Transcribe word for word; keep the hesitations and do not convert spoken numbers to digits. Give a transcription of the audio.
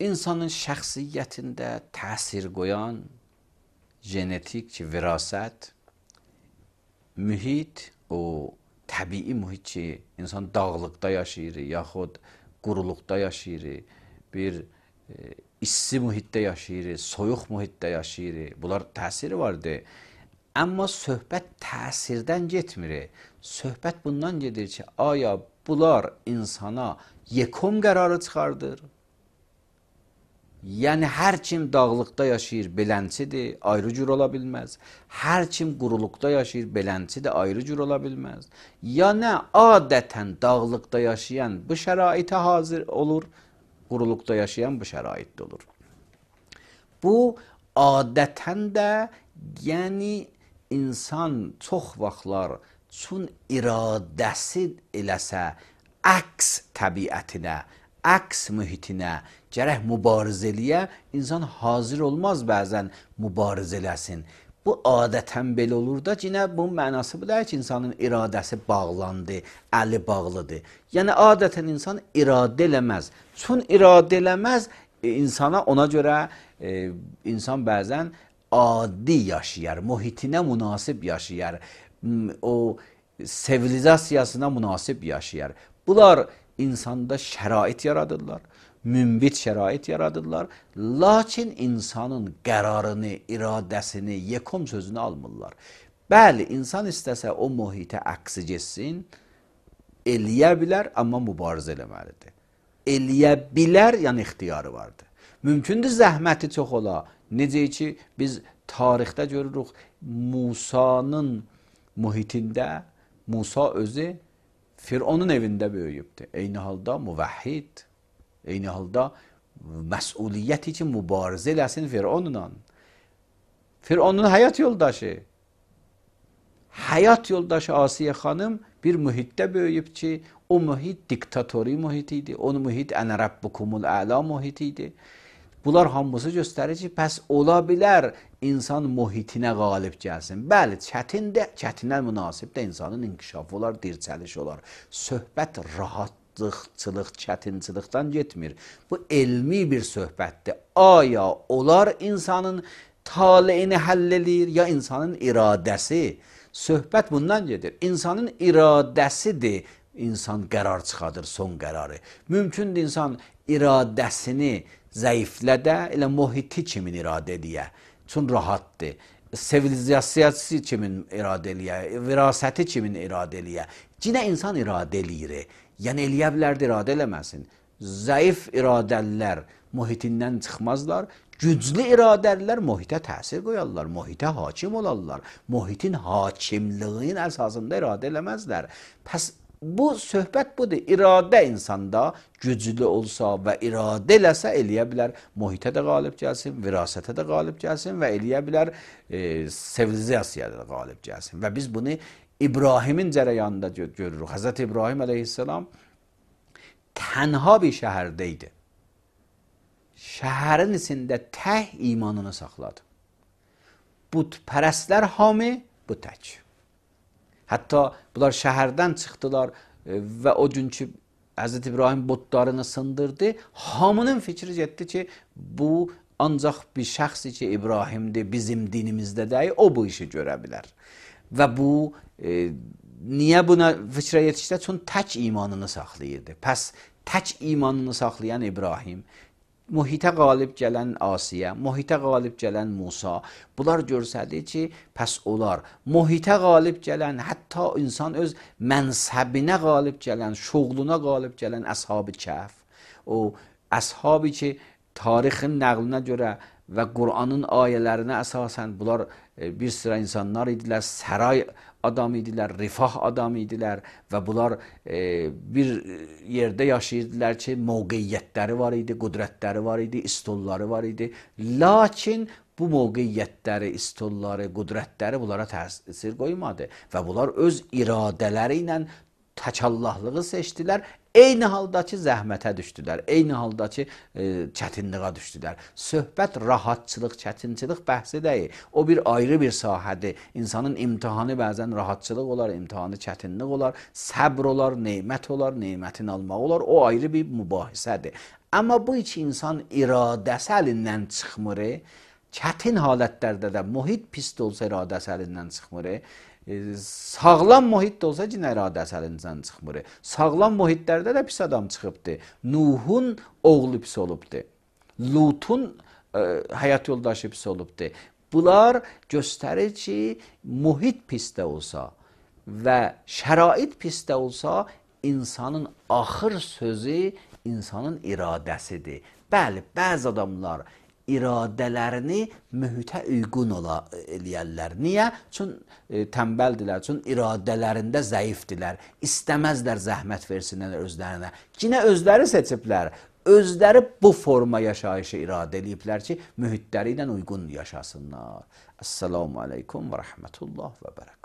insanın şəxsiyyətində təsir qoyan genetik ki, virasət, mühit, o təbii mühit ki, insan dağlıqda yaşayır, yaxud quruluqda yaşayır, bir e, issi mühitdə yaşayır, soyuq mühitdə yaşayır. Bunlar təsiri vardır. Amma söhbət təsirdən getmir. Söhbət bundan gedir ki, aya bunlar insana yekom qərarı çıxardır. Yəni, hər kim dağlıqda yaşayır, belənçidir, ayrı cür ola bilməz. Hər kim quruluqda yaşayır, belənçidir, ayrı cür ola bilməz. Ya nə, adətən dağlıqda yaşayan bu şəraitə hazır olur, quruluqda yaşayan bu şəraitdə olur. Bu, adətən də, yəni, insan çox vaxtlar çün iradəsi eləsə, əks təbiətinə, əks mühitinə, gərək mübarizəliyə, insan hazır olmaz bəzən mübarizə eləsin. Bu adətən belə olur da, yenə bunun mənası bu deyil ki, insanın iradəsi bağlandı, əli bağlıdır. Yəni, adətən insan iradə eləməz. Çün iradə eləməz, e, insana ona görə e, insan bəzən adi yaşayar, mühitinə münasib yaşayar, o sivilizasiyasına münasib yaşayar. Bunlar insanda şərait yaradırlar, mümbit şərait yaradırlar, lakin insanın qərarını, iradəsini, yekom sözünü almırlar. Bəli, insan istəsə o mühitə əksi geçsin, eləyə bilər, amma mübarizə eləməlidir. Eləyə bilər, yəni ixtiyarı vardır. Mümkündür zəhməti çox ola. Necə ki, biz tarixdə görürük, Musanın mühitində, Musa özü Fironun evində böyüyübdür. Eyni halda müvəhhid, eyni halda məsuliyyət üçün mübarizə eləsin Fironla. Fironun həyat yoldaşı, həyat yoldaşı Asiyə xanım bir mühitdə böyüyüb ki, o mühit diktatori mühit idi, o mühit ənə rəbbukumul əla mühit idi. Bunlar hamısı göstərir ki, pəs ola bilər insan mühitinə qalib gəlsin. Bəli, çətindir, çətinə münasib də insanın inkişafı olar, dirçəliş olar. Söhbət rahatlıqçılıq, çətinçilikdən getmir. Bu elmi bir söhbətdir. Aya olar insanın taleyini həll edir, ya insanın iradəsi. Söhbət bundan gedir. İnsanın iradəsidir, insan qərar çıxadır, son qərarı. Mümkündür insan iradəsini zəiflədə, elə mühiti kimin iradə ediyə. Çün rahatdır. Sivilizasiyası kimin iradə ediyə, virasəti kimin iradə ediyə. Cinə insan iradə eləyir. Yəni, eləyə bilərdir, iradə eləməsin. Zəif iradəlilər mühitindən çıxmazlar. Güclü iradəlilər mühitə təsir qoyarlar, mühitə hakim olarlar. Mühitin hakimliğinin əsasında iradə eləməzlər. Pəs, bu söhbət budur. İradə insanda güclü olsa və iradə eləsə eləyə bilər, mühitə də qalib gəlsin, virasətə də qalib gəlsin və eləyə bilər e, sivilizasiyada da qalib gəlsin. Və biz bunu İbrahimin cərəyanında görürük. Həzrət İbrahim əleyhissalam tənha bir şəhərdə idi. Şəhərin içində tək imanını saxladı. Bütpərəstlər hamı bu tək. Hətta bunlar şəhərdən çıxdılar və o günkü Həzrət İbrahim butlarını sındırdı. Hamının fikri getdi ki, bu ancaq bir şəxsi ki, İbrahimdir, bizim dinimizdə deyil, o bu işi görə bilər. Və bu, e, niyə buna fikrə yetişdi? Çünki tək imanını saxlayırdı. Pəs, tək imanını saxlayan İbrahim, mühitə qalib gələn Asiyə, mühitə qalib gələn Musa, bunlar görsədir ki, pəs olar. Mühitə qalib gələn, hətta insan öz mənsəbinə qalib gələn, şuğluna qalib gələn Əshab-ı Kəhf, o əshab-ı ki, tarixin nəqlinə görə və Qur'anın ayələrinə əsasən bunlar bir sıra insanlar idilər, səray adam idilər, rifah adam idilər və bunlar e, bir yerdə yaşayırdılar ki, mövqeyyətləri var idi, qudrətləri var idi, istolları var idi. Lakin bu mövqeyyətləri, istolları, qudrətləri bunlara təsir qoymadı və bunlar öz iradələri ilə təkallahlığı seçdilər. Eyni haldakı zəhmətə düşdülər, eyni haldakı e, çətinliğə düşdülər. Söhbət rahatçılıq, çətinçilik bəhsi deyil. O bir ayrı bir sahədir. İnsanın imtihanı bəzən rahatçılıq olar, imtihanı çətinlik olar, səbr olar, neymət olar, neymətin almaq olar. O ayrı bir mübahisədir. Amma bu iki insan iradəsi əlindən çıxmır. Çətin halətlərdə də mühit pis də olsa iradəsi əlindən çıxmır. E, sağlam mühit də olsa yenə iradəsi əlindən çıxmır. Sağlam mühitlərdə də pis adam çıxıbdı. Nuhun oğlu pis olubdu. Lutun e, həyat yoldaşı pis olubdu. Bunlar göstərir ki, mühit pis də olsa və şərait pis də olsa, insanın axır sözü insanın iradəsidir. Bəli, bəzi adamlar iradələrini mühitə uyğun ola eləyərlər. Niyə? Çün e, tənbəldilər, çün iradələrində zəifdirlər. İstəməzlər zəhmət versinlər özlərinə. Yenə özləri seçiblər. Özləri bu forma yaşayışı iradə ediblər ki, mühitləri ilə uyğun yaşasınlar. Esselamu aleykum və rəhmətullah və bərəkət.